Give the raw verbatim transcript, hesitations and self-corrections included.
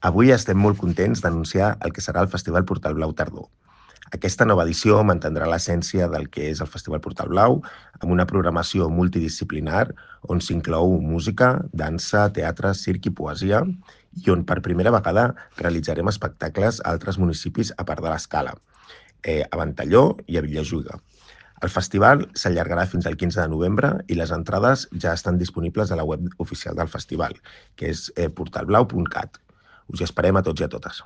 Avui estem molt contents d'anunciar el que serà el Festival Portal Blau Tardor. Aquesta nova edició mantindrà l'essència del que és el Festival Portal Blau, amb una programació multidisciplinar on s'inclou música, dansa, teatre, circ i poesia, i on per primera vegada realitzarem espectacles a altres municipis a part de l'Escala, eh, a Ventalló i a Vilajuïga. El festival s'allargarà fins al quinze de novembre i les entrades ja estan disponibles a la web oficial del festival, que és eh, portal blau punt cat. Us hi esperem a tots i a totes.